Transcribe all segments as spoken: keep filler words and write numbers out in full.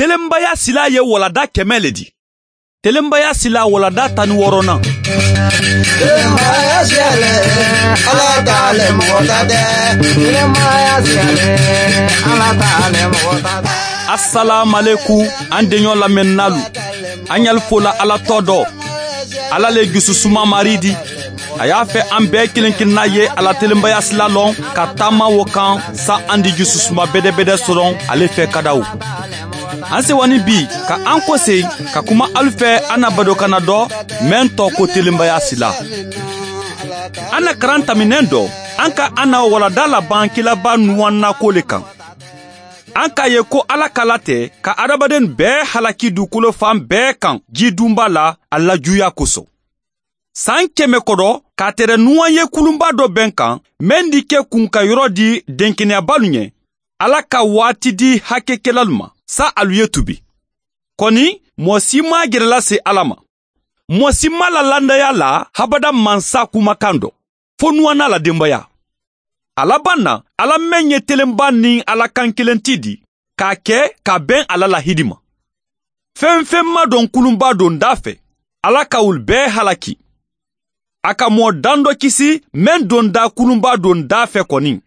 Telenbaya silaa ye walanda kɛmɛ le di. Telenbaya silaa walanda tan ni wɔɔrɔnan. Telenbaya silaa le, ala ta le mɔgɔ ta dɛ. Telenbaya silaa le, ala ta le mɔgɔ ta dɛ. Asalaamaleku, an deɲɔ lamɛnnaalu. An ɲali fola ala tɔ dɔ. Ala le jususuma mari di. A y'a fɛ an bɛɛ kelen kelenna ye a la telenbaya sila lɔn ka taama wo kan, sa an di jususuma bedebede sɔrɔ ale fɛ ka da o. An sewani bi ka an kosegi ka kuma alu fɛ an na badokana dɔ, meŋ tɔgɔ ko telenbaya sila. An na karan taminɛn dɔ, an ka an na walanda laban kilaba nuwanna ko le kan. An k'a ye ko ala ka la tɛ ka adamaden bɛɛ halaki dugukolo fan bɛɛ kan jidunba la a lajuya kosɔn. San kɛmɛ kɔdɔ, k'a tere nuwan ye kulunba dɔ bɛn kan, meŋ di ke kun ka yɔrɔ di denkeneyabalu ɲɛ, ala ka waati di hakekelalu ma, sa alu ye tubi. Kɔni, mɔgɔ si m'a jerela se ala ma. Mɔgɔ si m'a la landaya la habada mansa kumakan dɔ, fo nuwanna la denbaya. A laban na, ala meŋ ye telenba ni ala kan kelen ti di, k'a kɛ ka bɛn ala la hidima. Feŋ feŋ ma dɔn kulunba donda fɛ, ala ka wolu bɛɛ halaki. A ka mɔgɔ dan dɔ kisi, meŋ donda kulunba donda fɛ kɔni.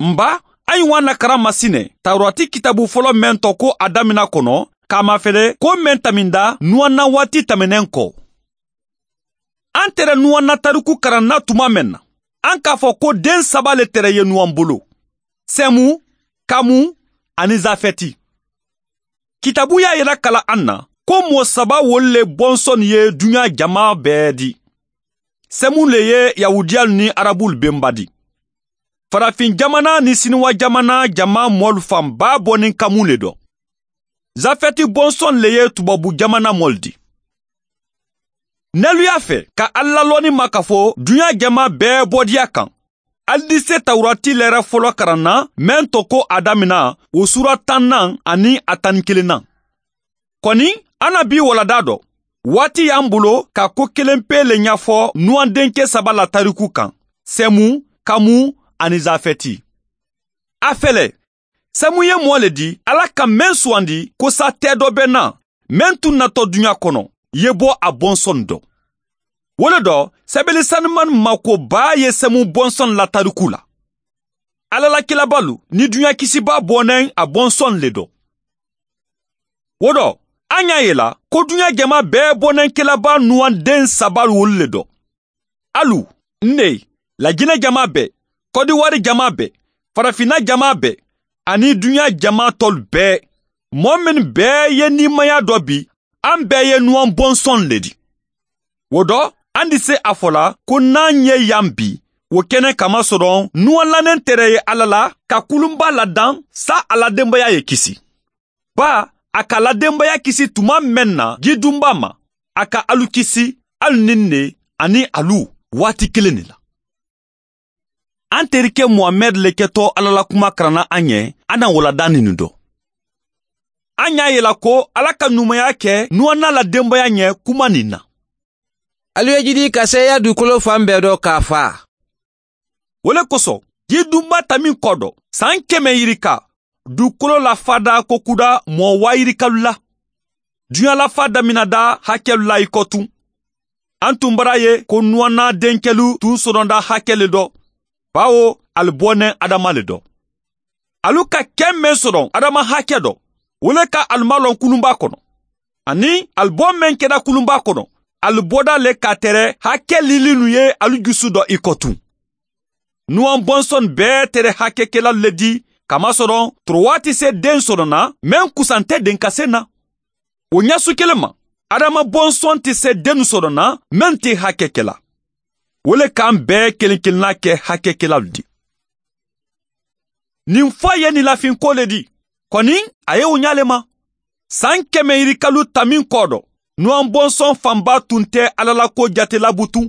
N ba, a ye wa na karan masinɛ tawurati kitabu fɔlɔ meŋ tɔ ko a damina kɔnɔ, k'a mafele ko meŋ taminda nuwanna waati tɛmɛnen kɔ. An tere nuwanna tariku karanna tuma meŋ na, an k'a fɔ ko den saba le tere ye nuwan bolo: sɛmu, kamu, ani zafɛti. Kitabu y'a yira kala an na ko moo saba wolu le bɔnsɔn ye duɲa jama bɛɛ di. Sɛmu le ye yahudiyalu ni arabulu benba di. Farafin jamana ni siniwa jamana jama moolu fan baa bɔ ni kamu le dɔn. Zafɛti bɔnsɔn le ye tubabu jamana moolu di. Neluya fɛ ka ala la lɔni ma ka fo duɲa jama bɛɛ bɔdiya kan, ali di se tawurati lɛrɛ fɔlɔ karan na, meŋ tɔ ko a damina wo suura tannan ani a tan ni kelennan. Kɔni, an na bi walanda dɔ, waati y'an bolo ka ko kelen pe le ɲafɔ nuwandenke saba la tariku kan: sɛmu, kamu, ani zafɛti. A fɛlɛ, sɛmu ye mɔɔ le di ala ka meŋ suwandi ko sa tɛ dɔ be na, meŋ tun natɔ duɲa kɔnɔ, ye bɔ a bɔnsɔn dɔ. Wo le dɔ, sɛbɛli sanimani ma ko baa ye sɛmu bɔnsɔn la tariku la. Ala la kilabalu ni duɲa kisiba bɔnɛŋ a bɔnsɔn le dɔ. Wo dɔ, an y'a ye la ko duɲa jama bɛɛ bɔnɛŋ kilaba nuwanden saba wolu le dɔ. Alu, n ne, lajinɛ jama bɛɛ, kɔdiwari jama bɛɛ, farafinna jama bɛɛ, ani duɲa jama tɔlu bɛɛ, mɔɔ mennu bɛɛ ye niimaya dɔ bi, an bɛɛ ye nuwan bɔnsɔn le di. Wo dɔ, an di se a fɔ la ko n'an ye yan bi, wo kɛnɛ kamasɔrɔ nuwan lannen tere ye ala la ka kulunba ladan, sa a la denbaya ye kisi. Baa, a ka a la denbaya kisi tuma meŋ na jidunba ma, a ka alu kisi, alu ni n ne, ani alu, waati kelen ne la. An terike muhamɛdi le ketɔ ala la kuma karanna an ye, an na walanda ni nin dɔ. An y'a ye la ko ala ka numaya kɛ nuwanna la denbaya ɲɛ kuma nin na. Alu ye jidi ka seeya dugukolo fan bɛɛ dɔ k'a fa. Wo le kosɔn, jidunba tamin kɔ dɔ, san kɛmɛ yirika, dugukolo la fada kokuda mɔɔ waa yirikalu la. Duɲa la fa daminada hakɛlu la i kɔ tun. An tun bara ye ko nuwanna denkɛlu tun sɔrɔnda hakɛ le dɔ, bawo ali bɔnɛ adama le dɔ. Alu ka kɛ meŋ sɔrɔ adama hakɛ dɔ, wo le ka alu malɔn kulunba kɔnɔ. Ani alu bɔ meŋ kɛra kulunba kɔnɔ, alu bɔda le ka tere hakɛ lilinu ye alu jusu dɔ i kɔ tun. Nuwan bɔnsɔn bɛɛ tere hakɛkelalu le di, kamasɔrɔ torowa ti se den sɔrɔ na, meŋ kusan tɛ denkase na. Wo ɲasu kelen ma, adama bɔnsɔn ti se dennu sɔrɔ na, meŋ ti hakɛkela. Wo le k'an bɛɛ kelen kelenna kɛ hakɛkelalu di. Nin fɔ ye nin lafinko le di. Kɔni, a ye wo ɲa le ma. San kɛmɛ yirikalu tamin kɔ dɔ, nuwan bɔnsɔn fanba tun tɛ ala la ko jate la butun.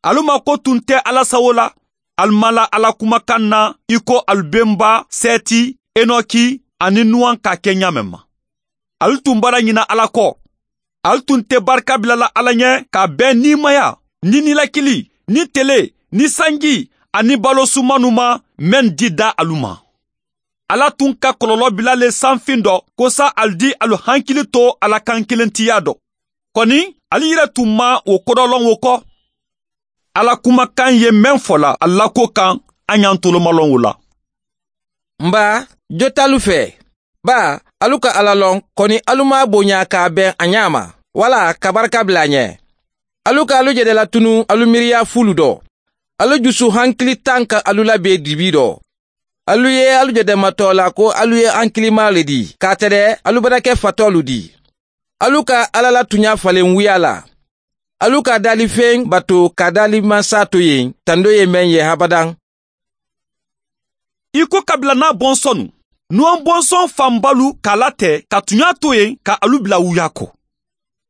Alu ma ko tun tɛ ala sawo la. Alu ma la ala kumakan na i ko alu benba sɛti, enɔki, ani nuwan ka kɛ ɲaamen ma. Alu tun bara ɲina ala kɔ. Alu tun tɛ barika bilala ala ɲɛ ka bɛn niimaya, ni nilakili, ni tele, ni sanji, ani balo sumanu ma, meŋ di da alu ma. Alla tun ka kololoo bila le sanfiŋ do ko saa ali di ali hankili to a la kaŋ kelentiyaa do. Koni ali yere tun maŋ wo kodoloŋ wo ko alla kumakaŋ ye meŋ fola ali la ko kaŋ. A ñantolomaloŋ wo la. M baa, jotaalu fee baa, alu ka alla loŋ koni alu maŋ a boñaa ka a beŋ a ñaama walla ka baraka bila a ñe. Alu ka alu jede latunu alu miiriyaa fuulu do. Alu jusu hankili taŋ ka alu la bee dibi do. Alu ye alu jede matoo la ko alu ye hankilimaa le dii ka a tede alu barake fatoolu dii. Alu ka alla la tuñaa faleŋ wuyaa la. Alu ka a daalifeŋ bato ka a daalimansaa to yeŋ tando ye meŋ ye habadaŋ. I ko kabila naa bonsonu nuwaŋ bonsoŋ fanbalu ka a late ka tuñaa to yeŋ ka alu bila wuyaa ko.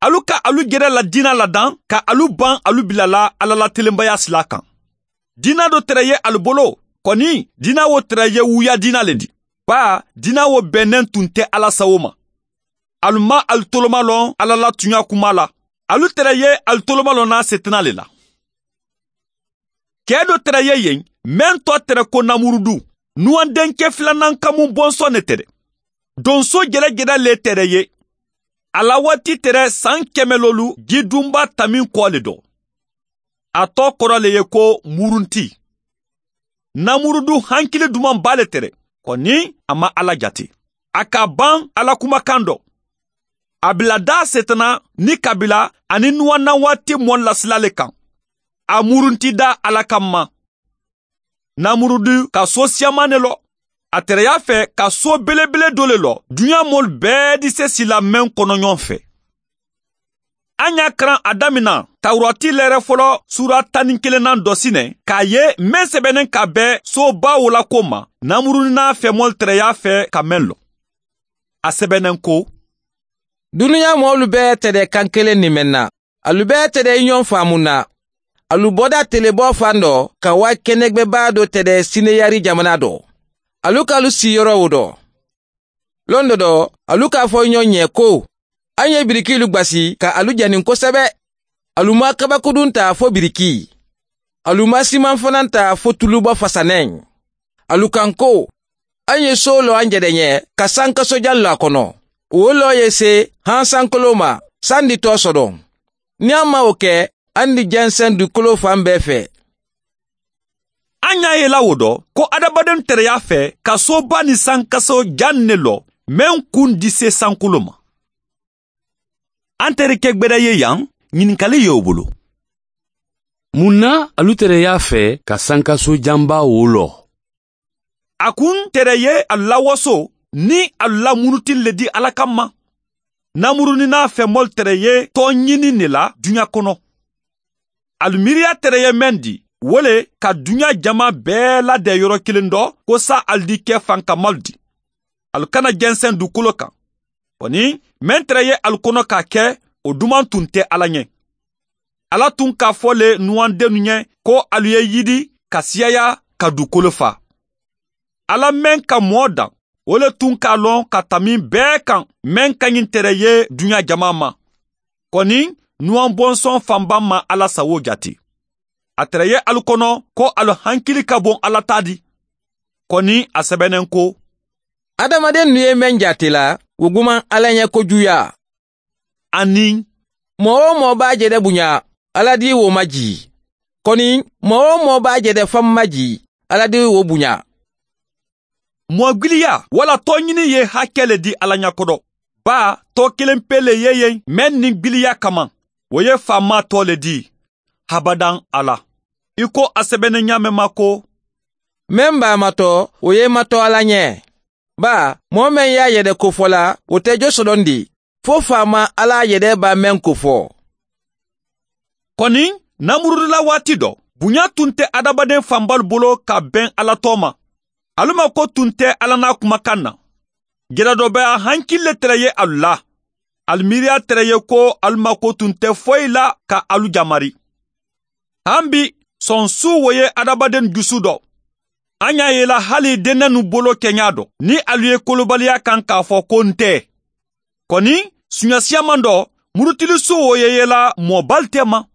Alu ka alu jede la diina la daŋ ka alu baŋ alu bila la alla la telembayaa silaa kaŋ. Diina do tere ye ali bolo koni diina wo tere ye wuyaa diina le di. Baa diina wo beneŋ tun te alla sawo ma. Ali maŋ ali tolomaloŋ alla la tuñaa kumaa la. Ali tere ye ali tolomaloŋ naa setanaa le la. Kee do tere ye yeŋ meŋ to tere ko namurudu nuwaŋ denke filanaŋ kamuŋ bonsoŋ ne tere. Donsoo jere jere le tere ye. A la waati tere saŋ keme loolu jidunbaa tamiŋ koo le do. A too koro le ye ko murunti. Namurudu hankili dumaŋ baa le tere koni a maŋ alla jate. A ka a baŋ alla kumakaŋ do. A bila daa setana ni kabila aniŋ nuwannaŋ waati moolu la sila le kaŋ. A murunti daa alla kamma. Namurudu ka soo siyamaa ne lo. A tereyaa fee ka soo belebele doo le lo duniyaa moolu bee disesi la meŋ kono ñoŋ fee. A ñaa karaŋ a damina tawurati leere folo suura tan niŋ kelennaŋ do si ne ka a ye meŋ sebeneŋ ka a be soo baa wo la ko ma. Namurudu naa femoolu tereyaa fee ka meŋ lo. A sebeneŋ ko duniyaa moolu bee tede kaŋ keleŋ ni meŋ na. Alu bee tede i ñoŋ faamu na. Alu boda teleboo faŋ do ka waa kenegbe baa do tede sineyari jamana do. Alu ka alu sii yoro wo do. Londo do alu ka a fo i ñoŋ ñe ko alu ye birikiilu gbasi ka alu jani kosebe. Alu maŋ kabakudunta fo birikii. Alu maŋ simaŋ fananta fo tuluba fasaneŋ. Alu kaŋ ko alu ye soo loo alu jede ñe ka sankaso jaŋ loo a kono. Wo loo ye see haŋ sankoloo ma sandi too sodoŋ. Niŋ alu maŋ wo ke alu ni jenseŋ dukoloo faŋ bee fee. A ñaa ye i la wo do ko hadamadentereyaa fee ka soo baa niŋ sankaso jaŋ ne lo meŋ kuŋ disee sankoloo ma. Anterike gbeda ye yaŋ ñininkali ye wo bulu. Muŋ na alu tereyaa fee ka sankaso jambaa wo loo? A kuŋ tere ye alu la wasoo niŋ alu la munutili le di alla kamma. Namuruninaa femoolu tere ye tooñini ne la duña kono. Alu miiriyaa tere ye meŋ di wo le ka duña jamaa bee la de yoro kiliŋ do ko saa alu di ke fankamalu di. Alu kana jenseŋ dukolo kaŋ. Koni meŋ tere ye alu kono ka ke wo dumaŋ tun te alla ñe. Alla tun ka a fo le nuwandennu ñe ko alu ye yidi ka siyayaa ka dukolo faa. Alla meŋ ka moo daŋ wo le tun ka a loŋ ka tamiŋ bee kaŋ meŋ ka ñiŋ tere ye duña jamaa ma. Koni nuwaŋ bonsoŋ fanbaŋ maŋ alla sawoo jati. A tere ye alu kono ko alu hankili ka boŋ alla taa di. Koni a sebeneŋ ko hadamadennu ye meŋ jaati la wo gumaŋ alla ñe ko juuyaa. Aniŋ moo-wo-moo be a jede buña alla di wo ma jii. Koni moo-wo-moo be a jede faŋ ma jii alla di wo buña. Moo gbiliyaa walla tooñini ye hakkee le di alla ña kodo. Baa too kiliŋ pee le ye yeŋ meŋ niŋ gbiliyaa kamaŋ wo ye faamaa too le di. Habadaŋ alla i ko a sebeneŋ ñaameŋ ma ko meŋ be a matoo wo ye i matoo alla ñe. Baa moo meŋ ye a yede kofola wo te jo sodondi fo faamaa alla yede be a meŋ kofoo. Koni namurudu la waati do buñaa tun te hadamadeŋ fanbalu bolo ka beŋ alla too ma. Alu ma ko tun te alla naa kumakaŋ na. Jere do be a hankili le tere ye alu la. Alu miiriyaa tere ye ko alu ma ko tun te foyi la ka alu jamari. Haŋ bi sonsuu wo ye hadamadennu jusu do. A ñaa ye i la hali dennenu bolo keñaa do niŋ alu ye kolobaliyaa kaŋ ka a fo ko nte. Koni suñasiyaŋ maŋ do murutilisuwo ye i la moo baalu teema.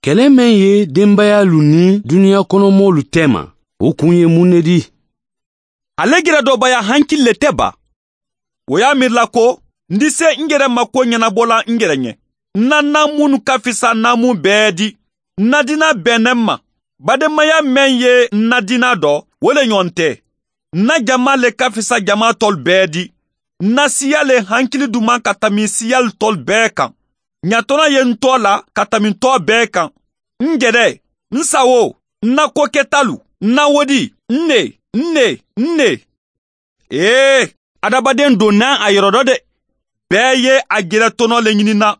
Kele meŋ ye denbayaalu niŋ duniyaa kono moolu teema wo kuŋ ye muŋ ne di? Ale jere doo baya hankili le te baa. Wo ye a miiri la ko n di see n jere ma ko ñanabo la n jere ñe n na naamu mennu ka fisa naamu bee di. N na dinaa bee ne m ma. Baademaya meŋ ye n na dinaa do wo le ñoŋ te. N na jamaa le ka fisa jamaa toolu bee di. N na siiyaa le hankili dumaa ka tambi siiyaalu toolu bee kaŋ. Ñatonaa ye n too la ka tambi too bee kaŋ. N jere, n sawoo, n na koketaalu, n na wodii, n ne, n ne, n ne. Ee, adamadeŋ do naa a yoro do de. Bee ye a jere tonoo le ñini n na.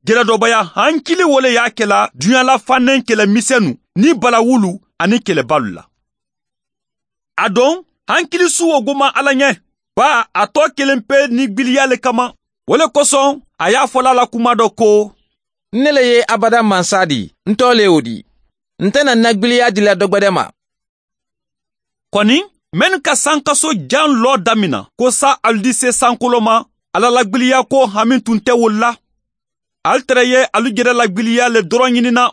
Jere doobaya hankili wo le ye a ke la duniyaa la fanneŋ kele misennu niŋ balawuulu aniŋ kele baalu la. A doŋ, hankili suuwo guma alla ñe, baa a too keleŋ pe niŋ gbiliyaa le kamma. Wo le kosoŋ a ye a fo la a la kumaa do ko, n ne le ye abada mansaa di. N too le wo di. Nte na n na gbiliyaa di la dogbede ma. Koni mennu ka sankaso jaŋ loo damina ko saa alu di see sankoloo ma, alla la gbiliyaa ko hami tun te wolu la. Ali tere ye alu jere la gbiliyaa le doroŋ ñini n na.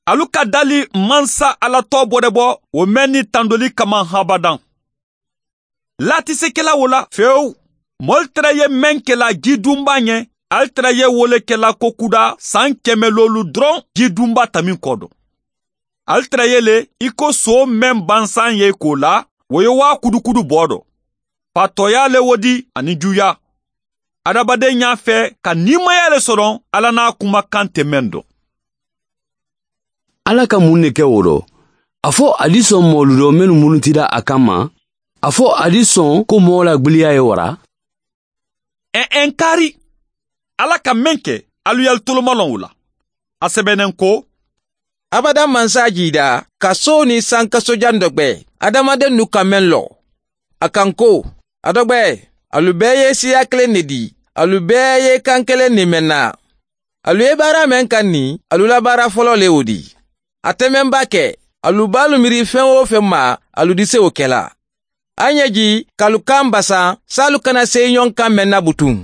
Alu ka dali mansa alla too borebo wo meŋ ni tandoli kaman habadaŋ. Laatise ke la wo la fewu. Moolu tere ye meŋ ke la jii dunbaa ñe, ali tere ye wo le ke la kokudaa saŋ keme loolu doroŋ jii dunbaa taminkoo do. Ali tere ye le i ko soo meŋ bansaŋ ye i koo la, wo ye waa kudukudu boo do. Patooyaa le wo di aniŋ juuyaa. Adamadeŋ ñaa fee ka niimayaa le soto alla naa kumakaŋ te meŋ do. Alla ka muŋ ne ke wo do? A fo a di soŋ moolu do mennu murutita a kamma? A fo a di soŋ ko moo la gbiliyaa ye wara? Eŋ eŋ kaari. Alla ka meŋ ke, alu ye alu tolomaloŋ wo la. A sebeneŋ ko, abada mansaa jiida ka soo niŋ sankaso jaŋ dogbe. Adamadennu ka meŋ loo a kaŋ ko, a dogbe, alu bee ye siiyaa keleŋ ne di. Alu bee ye kaŋ keleŋ ne meŋ na. Alu ye baara meŋ kaŋ ni, alu la baara foloo le wo di. A te meŋ ba ke, alu baalu miiri feŋ-wo-feŋ ma, alu di sewo ke la. A ñe ji ka alu kaŋ basaŋ saalu kana seyi ñoŋ kaŋ meŋ na butuŋ.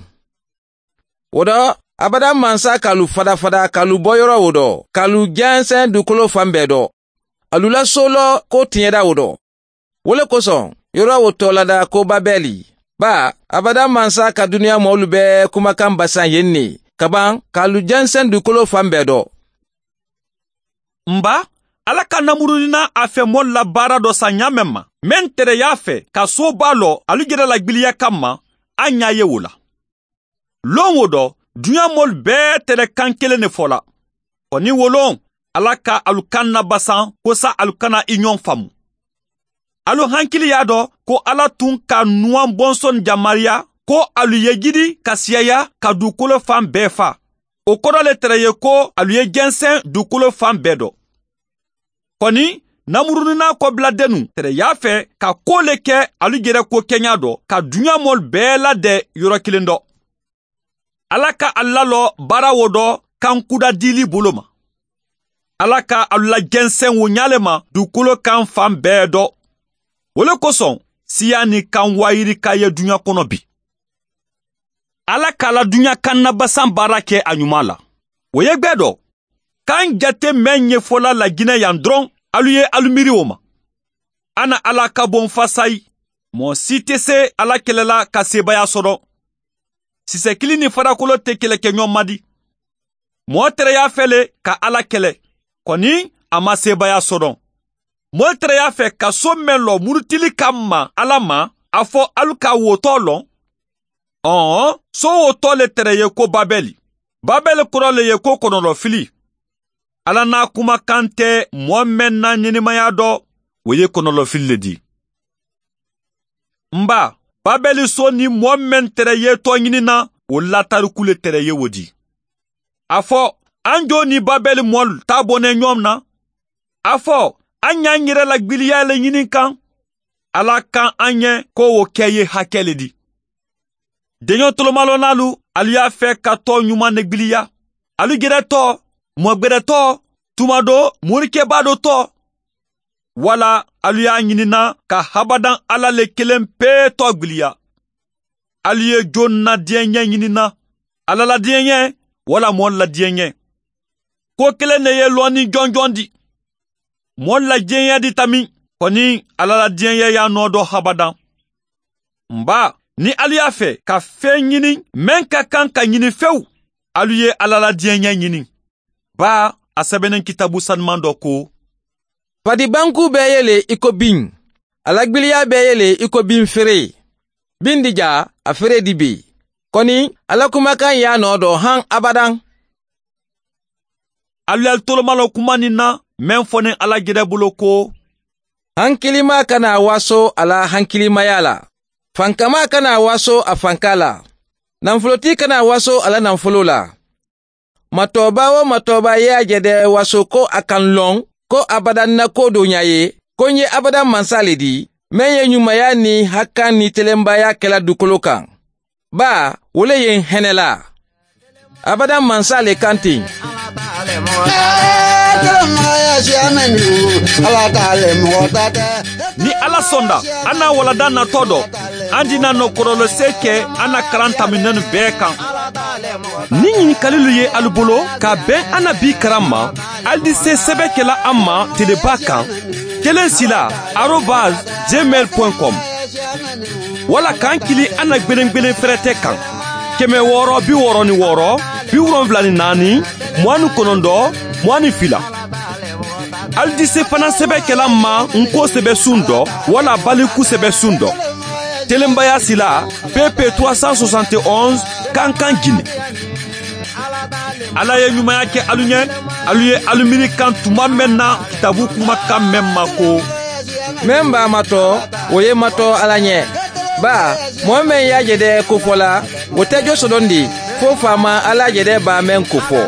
Wo do, abada mansa ka alu fadafada ka alu bo yoroo wo do ka alu jenseŋ duukoloo faŋ bee do. Alu la sooloo ko tiñeda wo do. Wo le kosoŋ, yoroo wo too lada ko babeli. Baa, abada mansa ka duniyaa moolu bee kumakaŋ basaŋ ye n ne, kabaŋ ka alu jenseŋ duukoloo faŋ bee do. N baa, alla ka namuruni naa a fe moolu la baara do saŋ ñaameŋ ma, meŋ tere ye a fe ka soo baa loo alu jere la gbiliya kamma. A ñaa ye wo la. Loŋ wo do, duniyaa moolu bee tere kaŋ keleŋ ne fo la. Koni wo loŋ, alla ka alu kaŋ na basaŋ ko saa alu kana i ñoŋ famu. Alu hankili ye a do ko alla tun ka nuwaŋ bonsoni jamariya ko alu ye jidi ka siyaya ka duukoloo faŋ bee faa. Wo kodo le tere ye ko alu ye jenseŋ duukoloo faŋ bee do. Koni, namuruni naa kobiladenu tere ye a fe ka kuwo le ke alu jere kuwo keñaa do ka duniyaa moolu bee lade yoro kiliŋ do. Alla ka alu laloo baara wo do kaŋ kuda diili bolo ma. Alla ka alu la jenseŋ wo ñaa le ma duukoloo kaŋ faŋ bee do. Wo le kosoŋ, siiyaa niŋ kaŋ waayirika ye duniyaa kono bii. Alla ka a la duniyaa kaŋ na basaŋ baara ke a ñumaa la. Wo ye gbee do, kaŋ jate meŋ ñefo la lajineyaŋ doroŋ, alu ye alu miiri wo ma. A na alla kaboŋ fasayi. Moo si te see alla kele la ka seebayaa soto. Siise kiliŋ niŋ farakoloo te kele ke ñoŋ ma di. Moo tere ye a fe le ka alla kele, koni a maŋ seebayaa soto. Moolu tere ye a fe ka soo meŋ loo murutili kamma alla ma, a fo alu ka wo too loŋ. Ɔɔ, soo wo too le tere ye ko babeli. Babeli koro le ye ko konolofili. Alla naa kumakaŋ te moo meŋ na ñinimayaa do, wo ye konolofili le di. N baa, babeli soo niŋ moo meŋ tere ye too ñini na, wo laatariku le tere ye wo di. A fo, aŋ joo niŋ babeli moolu taa bonee ñoŋ na. A fo, aŋ ñaa n yere la gbiliyaa le ñini n kaŋ. Alla kaŋ aŋ ye ko wo ke ye hakee le di. Deñoo tolomalonaalu, alu ye a fee ka too ñumaŋ ne gbiliya. Alu jere too, mogbere too, tuma doo moorikebaa doo too. Walla alu ye a ñini n na ka habadaŋ alla le keleŋ pee too gbiliya. Alu ye joŋ na diyaŋ ñee ñini n na, alla la diyaŋ ñee walla moolu la diyaŋ ñee? Kuwo keleŋ ne ye looniŋ jonjoŋ di. Moolu la diyaŋ ñee di tamiŋ, koni alla la diyaŋ ñee ye a noo doo habadaŋ. N baa, niŋ ali ye a fee ka feŋ ñini meŋ ka kaŋ ka ñini fewu, ali ye alla la diyaña ñini. Baa, a sebeneŋ kitaabu sanumaŋ do ko, fadi bankuu bee ye le i ko biŋ, a la gbiliyaa bee ye le i ko biŋ feree. Biŋ di jaa, a feree di bee. Koni, alla kumakaŋ ye a noo do haŋ abadaŋ. Ali ye ali tolomaloo kumandi n na meŋ fo niŋ alla jedebuloo ko, hankilimaa kana a waaso a la hankilimayaa la, fankamaa kana a waaso a fankaa la, nanfulotii kana a waaso a la nanfuloo la. Matooba-wo-matooba ye a jede waaso ko a ka n loŋ ko abadaŋ n na koo dooñaa ye, ko n ye abadaŋ mansaa le dii meŋ ye ñummayaa niŋ hakkaŋ niŋ telembayaa ke la dukoloo kaŋ. Baa, wo le ye n henelaa. Abadaŋ mansaa le kaŋ teŋ. Niŋ alla sonda, a naa walanda natoo do, a dii na noo korolosee ke a na karaŋ tambi nenu bee kaŋ. Niŋ ñinikalilu ye alu bulu ka beŋ a na bii karaŋ ma, ali di see sebe ke la a ma tele baa kaŋ, keleŋ sila arobaas jemel point com. Walla ka n kili a na gbelengbelen ferete kaŋ, keme wooro bi wooro ni wooro, bi wolonfula ni naani, muwaani konondoo, muwaani fila. Ali di see fanaŋ sebe ke la n ma n koo sebe suŋ do walla baliku sebe suŋ do. Telembayaa sila, pp trois cent soixante et onze, kankan gine. Alla ye ñumaya ke alu ñe. Alu ye alu miiri kaŋ tuma meŋ na kitaabu kumakaŋ meŋ ma ko, meŋ be a matoo, wo ye matoo alla ñe. Baa, moo meŋ ye a jede kofo la, wo te josodondi fo faamaa alla jede baa meŋ kofo.